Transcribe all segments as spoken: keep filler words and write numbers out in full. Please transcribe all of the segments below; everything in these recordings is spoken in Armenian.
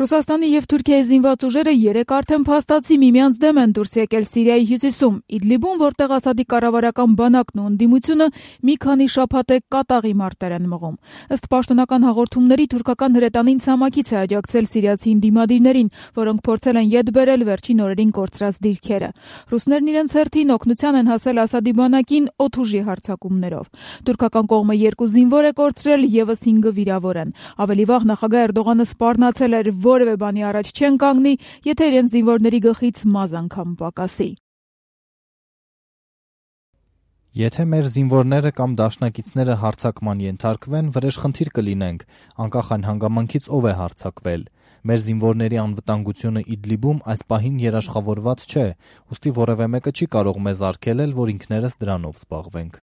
Ռուսաստանի և Թուրքիայի զինված ուժերը երեկ արդեն փաստացի միմյանց դեմ են դուրս եկել Սիրիայի հյուսիսում, Իդլիբում, որտեղ Ասադի կառավարական բանակն ու ընդդիմությունը մի քանի շաբաթ է կատաղի մարտեր են մղում։ Ըստ պաշտոնական հաղորդումների, թուրքական հրետանին ցամաքից է աջակցել սիրիացի ընդդիմադիրներին, որոնք փորձել են ետ բերել վերջին օրերին կորցրած դիրքերը։ Ռուսներն իրենց հերթին օգնության են հասել Ասադի բանակին օդուժի հարձակումներով։ Թուրքական կողմը երկու զինվոր է կորցրել, ևս հինգը վիրավոր են։ Ավելի վաղ նախագահ Էրդողանը սպառնացել էր, որևէ բանի առաջ չեն կանգնի, եթե իրենց զինվորների գլխից մազ անգամ պակասի։ Եթե մեր զինվորները կամ դաշնակիցները հարձակման ենթարկվեն, վրեժխնդիր կլինենք, անկախ այն հանգամանքից ով է հարձակվել։ Մեր զինվորների անվտանգությունը Իդլիբում այս պահին երաշխավորված չէ, ուստի որևէ մեկը չի կարող մեզ արգելել, որ ինքներս դրանով զբաղվենք։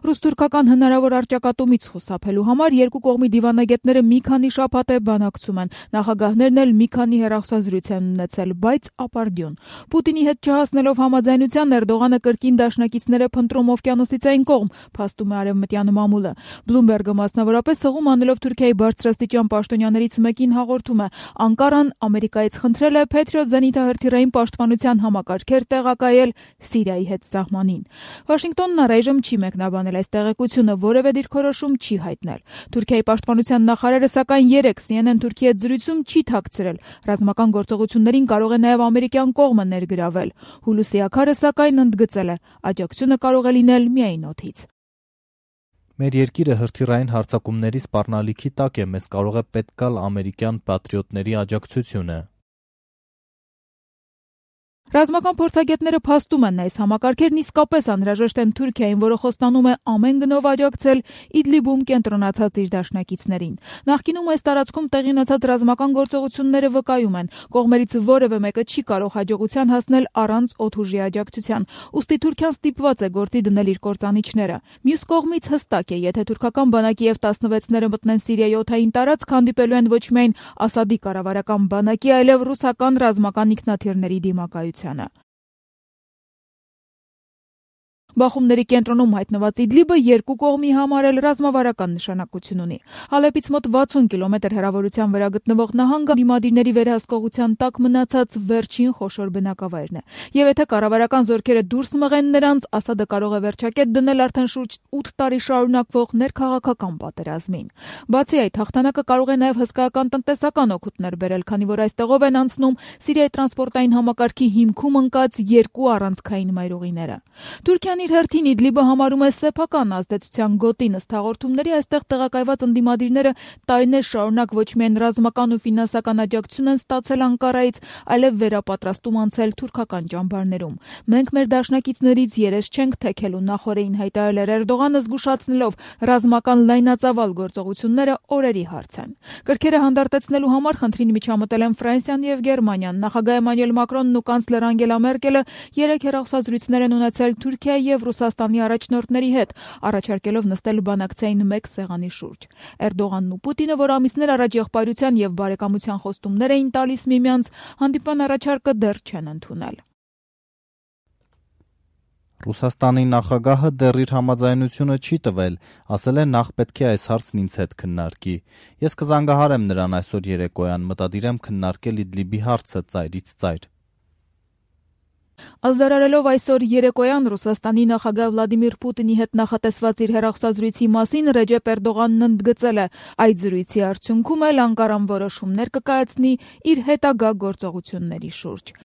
Ռուս-թուրքական հնարավոր առճակատումից խուսափելու համար երկու կողմի դիվանագետները մի քանի շաբաթ է բանակցում են, նախագահներն էլ մի քանի հեռախոսազրույց են ունեցել, բայց ապարդյուն։ Պուտինի հետ չհասնելով համաձայնության, Էրդողանը կրկին դաշնակիցները փնտրում օվկիանոսից այն կողմ, փաստում է արևմտյան մամուլը։ Բլումբերգը մասնավորապես հղում անելով Թուրքիայի բարձրաստիճան պաշտոնյաներից մեկին հաղորդում է. Անկարան Ամերիկայից խնդրել է Փեթրիոտ զենիթահրթիռային պաշտպանության համակարգեր տեղակայել Սիրիայի հետ սահմանին։ Վաշինգտոնն առայժմ չի մեկնաբանել այս տեղեկությունը, որևէ դիրքորոշում չի հայտնել։ Թուրքիայի պաշտպանության նախարարը սակայն երեկ Սի Են Են Թուրքի հետ զրույցում չի թաքցրել. ռազմական գործողություններին կարող է նաև ամերիկյան կողմը ներգրավել։ Հուլուսի աքարը սակայն ընդգծել է. աջակցությունը կարող է լինել միայն օդից։ Մեր երկիրը հրթիռային հարձակումների սպառնալիքի տակ է, մեզ կարող է պետք գալ ամերիկյան պատրիոտների աջակցությունը։ Ռազմական փորձագետները փաստում են, այս համակարգերն իսկապես անհրաժեշտ են Թուրքիային, որը խոստանում է ամեն գնով աջակցել Իդլիբում կենտրոնացած իր դաշնակիցներին։ Նախկինում այս տարածքում տեղի ունեցած ռազմական գործողությունները վկայում են, կողմերից որևէ մեկը չի կարող հաջողության հասնել առանց օդուժի աջակցության, ուստի Թուրքիան ստիպված է գործի դնել իր կործանիչները։ Մյուս կողմից հստակ է, եթե թուրքական բանակի Եվ տասնվեցները մտնեն Սիրիայի օդային տարածք, հանդիպելու են ոչ միայն Ասադի կառավարական բանակի, այլև ռուսական ռազմական ինքնաթիռների դիմակայությանը։ Բախումների կենտրոնում հայտնված Իդլիբը երկու կողմի համար էլ ռազմավարական նշանակություն ունի։ Հալեպից մոտ վաթսուն կիլոմետր հեռավորության վրա գտնվող նահանգը դիմադիրների վերահսկողության տակ մնացած վերջին խոշոր բնակավայրն է։ Եվ եթե կառավարական զորքերը դուրս մղեն նրանց, Ասադը կարող է վերջակետ դնել արդեն շուրջ ութ տարի շարունակվող ներքաղաքական պատերազմին։ Բացի այդ, հաղթանակը կարող է նաև հսկայական տնտեսական օգուտներ բերել, քանի որ այստեղով են անցնում Սիրիայի տրանսպորտային համակարգի հիմքում ընկած երկու առանցքային մայրուղիները։ Թուրքիան իր հերթին Իդլիբը համարում է սեփական ազդեցության գոտին, ըստ հաղորդումների այստեղ տեղակայված ընդդիմադիրները տարիներ շարունակ ոչ միայն ռազմական ու ֆինանսական աջակցություն են ստացել Անկարայից, այլև վերապատրաստում անցել թուրքական ճամբարներում։ Մենք մեր դաշնակիցներից երես չենք թեքելու, նախորդին հայտարարել էր Էրդողանը, զգուշացնելով ռազմական լայնածավալ գործողությունները օրերի հարց են։ Կրքերը հանդարտեցնելու համար խնդրին միջամտել են Ֆրանսիան եւ Գերմանիան։ Նախագահ Էմանուել Մակրոնն ու կանցլեր Անգելա Մերկելը երեք հեռախոսազրույցներ են ունեցել Թուրքիայի եւ Ռուսաստանի առաջնորդների հետ, առաջարկելով նստել բանակցային մեկ սեղանի շուրջ։ Էրդողանն ու Պուտինը, որ ամիսներ առաջ եղբայրության եւ բարեկամության խոստումներ էին տալիս միմյանց, հանդիպան առաջարկը դեռ չեն ընդունել։ Ռուսաստանի նախագահը դեռ իր համաձայնությունը չի տվել, ասել է նախ պետք է այս հարցն ինձ հետ քննարկի։ Ես կզանգահարեմ նրան այսօր երեկոյան, մտադիր եմ քննարկել Իդլիբի հարցը ծայրից ծայր։ Ազդարարելով այսօր երեկոյան Ռուսաստանի նախագահ Վլադիմիր Պուտինի հետ նախատեսված իր հեռախոսազրույցի մասին, Ռեջեփ Էրդողանն ընդգծել է. այդ զրույցի արդյունքում էլ Անկարան որոշումներ կկայացնի իր հետագա գործողությունների շուրջ։